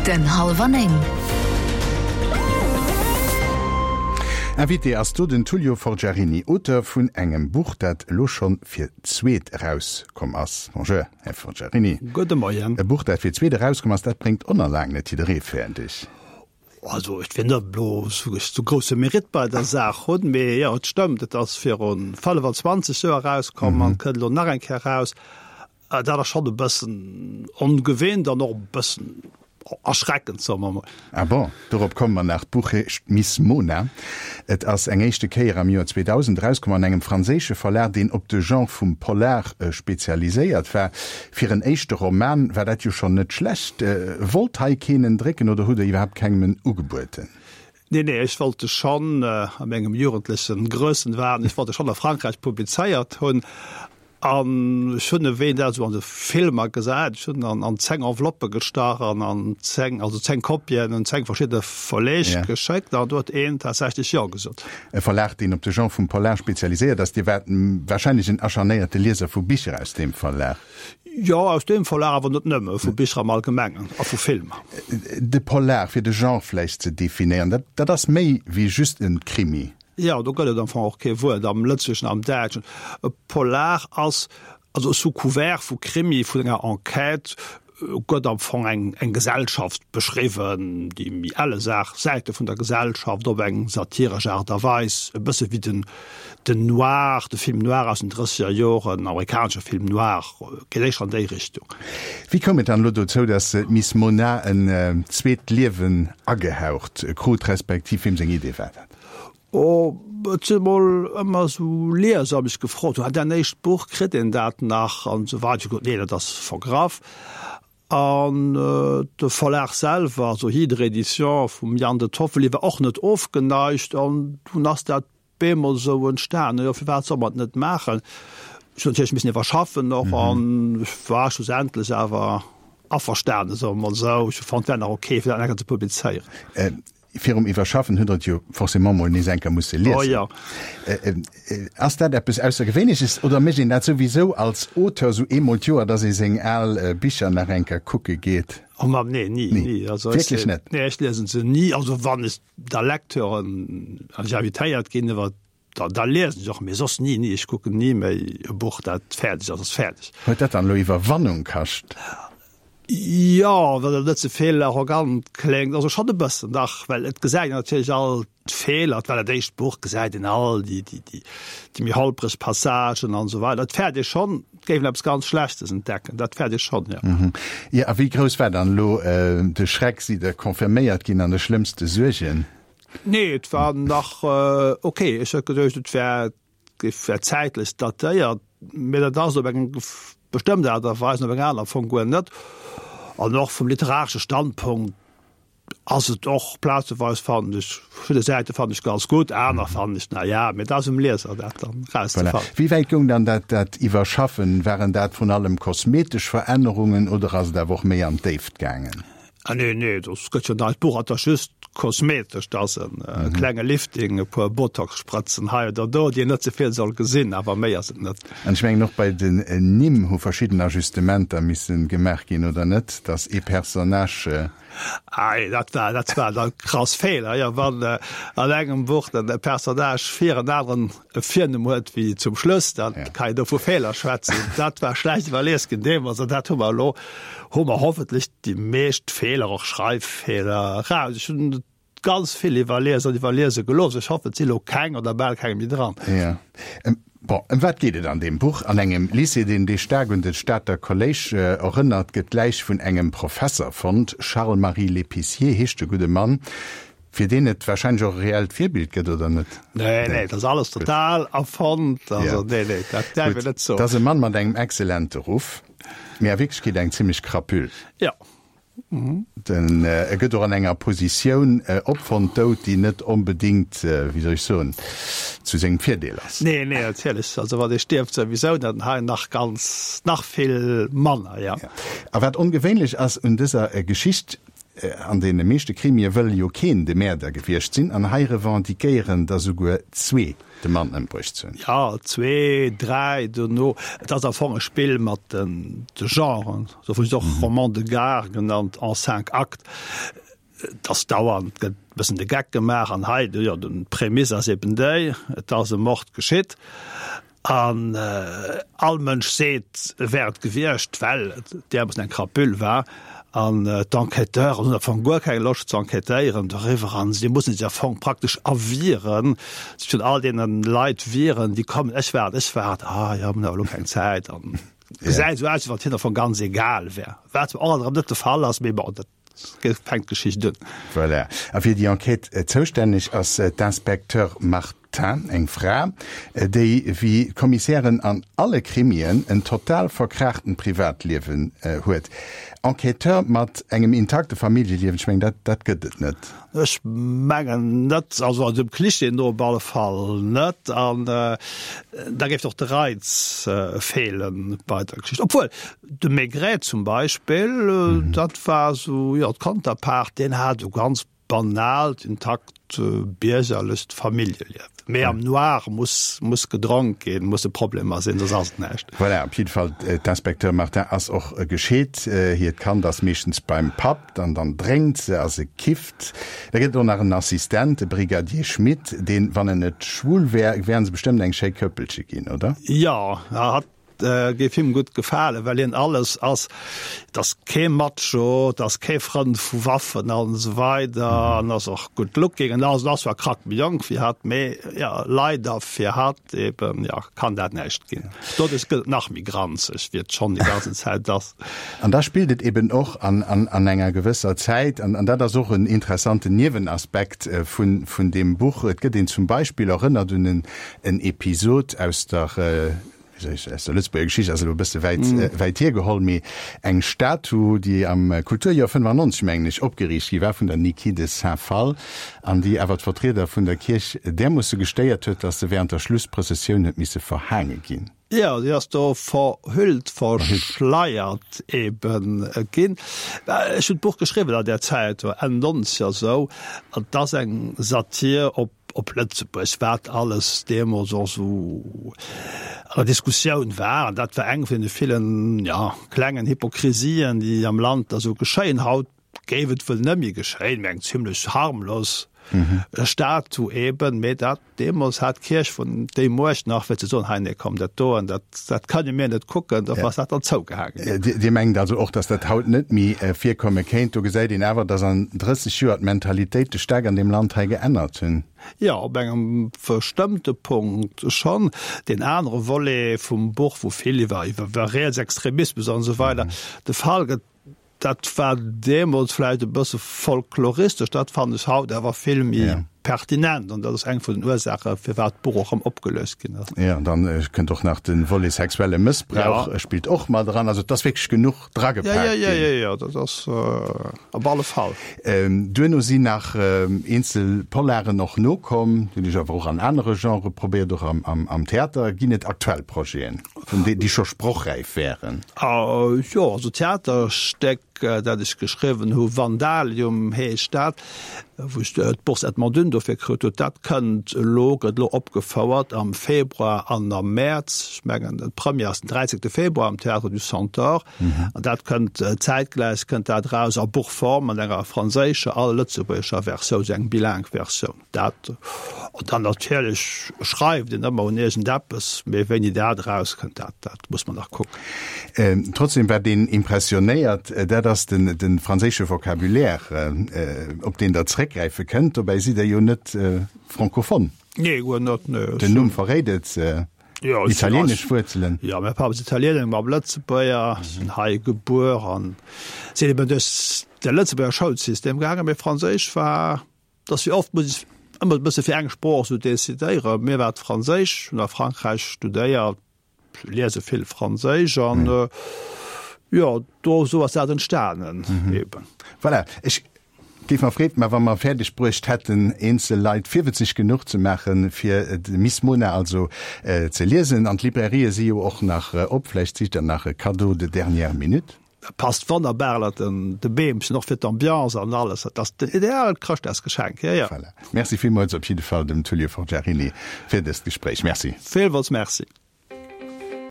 Minutten hallwer 9. Invité ass do den Tullio Forgiarini, Auteur vun engem Buch, dat elo schonn fir d'zweet erauskomm ass. Bonjour, Här Forgiarini. Gudde Moien. E Buch, dat fir d'zweet erauskomm ass, dat bréngt onerlaang net jidderee fäerdeg. Also ech wéll net elo sou grousse Mérite bei der Saach hunn, mee jo, et stëmmt, et ass viru 25 Joer erauskomm an kënnt elo nach eng Kéier eraus. Dat ass schonn e bëssen ongewinnt an och e bëssen erschreckend, soe mer emol. Ah bon, dorop komme mer nach. D'Buch heescht Miss Mona. Et ass eng éischte Kéier am Joer 2000 erauskomm an engem franséische Verlag, deen op de Genre vum Polar spezialiséiert war. Fir en éischte Roman war dat jo schonn net schlecht. Wollt hei keen en drécken oder hutt Der iwwerhaapt kengem en ugebueden? Nee, nee, ech wollt e schonn, a mengem jugendleche Grössenwahn, ech wollt e schonn a Frankräich publizéiert hunn. An ech hunn e wéi een dat esou an de Filmer gesäit, ech hunn en an 10 Enveloppë gestach an an 10, also 10 Kopien un 10 verschidde Verleeg geschéckt an do huet een tatsächlech Jo gesot. E Verlag, deen op de Genre vum Polar spezialiséiert ass. Dir waart warscheinlech en acharnéierte Lieser vu Bicher aus deem Verlag. Jo, aus deem Verlag, awer net nëmme, vu Bicher am Allgemengen a vu Filmer. De Polar, fir de Genre vläicht ze definéieren, dat, dat ass méi wéi just e Krimi. Jo, do gëtt et am Fong och kee Wuert am Lëtzebuergeschen, am Däitschen. E Polar ass, also sous couvert vu Krimi, vun enger Enquête, gëtt am Fong eng, eng Gesellschaft beschriwwen, déi méi elle Saach, Säite vun der Gesellschaft op eng satiresch Aart a Weis, e bësse wéi den, den Noir, de Film noir aus den drësseger Joren, den amerikanesche Film noir, geet éischter an déi Richtung. Wéi koum et dann elo dozou, datt d'Miss Mona en zweet Liewen agehaucht krut, respektiv weem seng Idee war dat? Oh, et sinn emol ëmmer esou Lieser mech gefrot hunn, Däin éischt Buch, kritt een dat nach? an esou weider. Ech hu gesot, Nee, dat ass vergraff. An de Verlag selwer, also Hydre Éditions vum Yann de Toffoli, war och net ofgeneigt an dunn ass dat bemol esou entstanen. Jo, firwat soll mer et net maachen? Ech hunn natierlech missen iwwerschaffen och an ech war schlussendlech awer averstanen, soe mer mol esou. Ech hu fonnt, et wär nach ok, fir dat nach eng Kéier ze publizéieren. Virum Iwwerschaffen hutt Der et jo forcément mol nees eng Kéier musse liesen. Oh jo. Ass dat eppes Aussergewéinleches oder mécht een dat souwisou als Auteur sou eemol d'Joer, dass ee seng al Bicher nach eng Kéier kucke geet? Oh Mamm, nee, ni, ni. Also ech, Wierklech net? Nee, ech liesen se ni. Also wann ech da Lecteuren, wann ech invitéiert ginn iwwer Da, da liesen ech och, mee soss ni, ni. Ech kucken ni méi e Buch, dat fäerdeg ass, ass fäerdeg. Huet dat dann elo Iwwerwannung kascht? Jo, well et net ze vill arrogant kléngt, also schonn e bëssen, dach, well et gesäit een natierlech all d'Feeler, et war dat éischt Buch, gesäit een all déi, déi, déi, déi méi holpreg Passagen an esou weider. Et fäert ee schonn, et géif een eppes ganz Schlechtes entdecken, dat fäert ee schonn, jo. Jo, a wéi grouss war dann elo de Schreck? Sidd Der confirméiert ginn an de schlëmmste Suergen? Nee, et war nach ok. Ech hat geduecht, et wär, et wär zäitlech datéiert, mee dat ass op eng bestëmmt Aart a Weis an op eng aner am Fong guer net. An och vum literaresche Standpunkt ass et och plazeweis, fannen ech, verschidde Säite fannen ech ganz gutt, aner fannen ech, na ja, mee dat ass um Lieser, dat dann erauszefannen. Voilà. Wéi wäit goung dann dat, dat Iwwerschaffen? Waren dat vrun allem kosmetesch Verännerungen oder ass et awer och méi an d'Déift gaangen? Ah nee, nee, dat gëtt jo neit Buch, dat ass just kosmetesch, dat ass en klenge Lifting, e puer Botox-Sprëtzen hei oder do, déi een net ze vill soll gesinn, awer méi ass et net. An ech mengen och bei den Nimm hu verschidden Ajustementer missen gemaach ginn, oder net? Dass ee Personnage. Ah nee, dat war, dat war da krass Feeler, jo, wann an engem Buch den Personnage vir en aneren e Virnumm huet wéi zum Schluss, da kann een do vu Feeler schwätzen. Dat war schlecht iwwerlies ginn deemools an dat hu mer elo, hu mer hoffentlech déi meescht Feeler, och Schreiffeeler, eraus. Ech hunn ganz vill iwwerlies an iwwerliese gelooss. Ech hoffen, et si elo keng oder bal keng méi dran. Jo. Bon, ëm wat geet et an deem Buch? An engem Lycée, deen dee staark un de Stater Kolléisch erënnert, gëtt d'Läich vun engem Professer fonnt. Charles-Marie Lépicier heescht de gudde Mann. Fir deen et wahrscheinlech och e reellt Virbild gëtt, oder net? Nee, nee, dat ass alles total erfonnt. Also, nee, nee, dat däerf een net soen. Dat ass e Mann mat engem excellente Ruff, mee a Wierklechkeet eng zimmlech Crapule. Jo. Den, e gëtt och an enger Positioun opfonnt, dout, déi net onbedéngt, wéi soll ech soen, zu sengem Virdeel ass. Nee, nee, natierlech. Also wann ee stierft souwisou, dann hei nach ganz, nach vill manner, jo. A wat ongewéinlech ass un dëser Geschicht. An deene meeschte Krimie wëll jo keen de Mäerder gewiescht sinn, an hei revendiquéieren der souguer zwee, de Mann ëmbruecht ze hunn. Jo, zwee, dräi dono. Et ass am Fong e Spill mat de Genren, dofir ass et och Roman de gare genannt, en cinq actes. Et ass dauernd, gëtt e bëssen de Geck gemaach an hei, jo, d'Prämisse ass eben déi, et ass e Mord geschitt. An all Mënsch seet, e wär et gewiescht, well et deemools eng Crapule war. An d'Enquêteuren hunn am Fong guer keng Loscht ze enquêtéieren doriwwer an si mussen sech am Fong praktesch erwieren, sech vun all deene Leit wieren, déi kommen, ech war et, ech war et, ah jo, mir hunn awer elo keng Zäit. An et gesäit esou aus, wéi wann et hinnen am Fong ganz egal wär, wat zwar och alt erëm net de Fall ass, mee bon, dat fänkt d'Geschicht un. Voilà. A fir déi Enquête zoustänneg ass d'Inspecteur Martin, eng Fra, déi wéi d'Kommissären an alle Krimien en total verkraachten Privatliewen huet. Enquêteur mat engem intakte Familljeliewen, ech mengen dat dat gëtt et net. Ech mengen net, also dem Klischee no op alle Fall net. An da géif och de Reiz feelen bei der Geschicht. Obwuel, De Maigret zum Beispill, dat war esou, jo, d'Konterpart, deen hat esou ganz banaalt, intakt biergerlecht Familljeliewen. Mee am Noir muss, muss gedronk ginn, musse Problemer sinn, soss ass et näischt. Voilà, op jidde Fall, d'Inspecteur Martin ass och gescheet. Hiert Kand ass meeschtens beim Papp, dann, dann drénkt se a se kifft. Da gëtt et och nach en Assistent, de Brigadier Schmitt, deen, wann en net schwul wär, wären se bestëmmt eng schéi Këppelche ginn, oder? Jo, hatt Géif him gutt gefalen, well hien alles ass. Et ass kee Macho, et ass kee Frënd vu Waffen an esou weider an ass och good looking an alles. Ass zwar krack méi jonk wéi hatt, mee jo, leider fir hatt eben, jo, kann dat näischt ginn. Doduerch gëtt et nach méi granzeg, wéi et schonn déi ganzen Zäit ass. An da spillt et eben och an enger gewësser Zäit, an dat ass och en interessanten Niewenaspekt vun deem Buch, et gëtt een zum Beispill erënnert un en Episod aus der, aus der Lëtzebuerger Geschicht ass elo e bësse wäit, wäit hiergeholl, mee eng Statu, déi am Kulturjoer 95, mengen ech, opgeriicht gi war vun der Niki de Saint-Phalle an déi awer d'Vertrieder vun der Kierch därmoosse gestéiert huet, datt se während der Schlussprëssessioun huet misse verhaange ginn. Jo, si ass do verhüllt, verschleiert ebe ginn. Ech hunn d'Buch geschriwwen an där Zäit, Enn Nonzeger esou, an et ass eng Satir op op Lëtzebuerg, wat alles deemools och esou an der Diskussioun war. An dat war eng vun deene villen, jo, klengen Hypokrisien, déi am Land da sou geschéien. Haut géif et wuel net méi geschéien, mee eng zimlech harmlos Statu eben. Mee dat deemools hat d'Kierch vun déi Muecht nach, fir ze soen, hei, nee, komm, dat do, an dat, dat kënne mir net kucken, da ass dat dann zougehaange ginn. Dir mengt also och, datt dat haut net méi virkomme kéint. Do gesäit een awer, datt an 30 Joer d'Mentalitéite staark an deem Land hei geännert hunn. Jo, op engem bestëmmte Punkt schonn. Deen anere Volet vum Buch, wou vill iwwer iwwer Rietsextremismus an esou weider de Fall gëtt, Dat war deemools vläicht e bësse folkloristesch, dat fannen ech haut awer vill méi pertinent an dat ass eng vun den Ursaache firwat d'Buch och erëm opgelöst ginn ass. Jo, an dann kënnt och nach de Volet sexuelle Mëssbrauch spillt och mat eran. Also et ass wierklech genuch dragepaakt ginn. Jo, jo, jo, jo, dat ass op alle Fall. Duerno sinn nach eenzel Polaren och nokomm, déi hunn ech awer och an anere Genrë probéiert, och am Theater. Ginn et aktuell Projeten? Vun déi, déi scho sprochräif wären. Jo, also d'Theaterstéck, dat ech geschriwwen hu, Vandalium heescht dat, wou ech d'Bourse Edmond Dünn dofir krut huet, dat kënnt elo, gëtt elo opgefouert am Februar an am Mäerz. Ech mengen, d'Première ass den 13. Februar am Théâtre du Centaure. An dat kënnt zäitgläich kënnt dat eraus a Buchform an enger franséischer a lëtzebuergescher Versioun, esou eng bilingue Versioun. Dat, an dann natierlech schreift een ëmmer un iergendeppes, mee wéini dat erauskënnt, dat, dat muss mer nach kucken. Trotzdem, wat een impressionéiert, dat ass den, de franséische Vocabulaire, op deen Der zréckgräife kënnt. Dobäi sidd Der jo net francophone. Nee, guer net, nee. Den Numm verréit et, italienesch Wuerzelen. Jo, mäi Papp ass Italiener, meng Mamm Lëtzebuerger, sinn hei gebuer an sinn eben duerch de Lëtzebuerger Schoulsystem gaangen, mee Franséisch war Dass wéi oft muss ech ëmmer e bësse fir eng Sprooch esou decidéieren. Mir war et Franséisch, hunn a Frankräich studéiert, liese vill Franséisch an jo, do esou ass dat entstanen eben. Voilà, ech géif mer Freed man, wa mer fäerdeg bruecht hätten, eenzel Leit virwëtzeg genuch ze maachen, fir d'Miss Mona also ze liesen. An d'Librairië si jo och nach op, vläicht sicht Der nach e Cadeau de dernière minute. Dat passt wonnerbar ënnert de Beemchen, och fir d'Ambiance an alles. Dat ass den ideaalt Chrëschtdagsgeschenk, jo, jo. Voilà. Merci villmools op jidde Fall dem Tullio Forgiarini fir dëst Gespréich. Merci. Villmools Merci.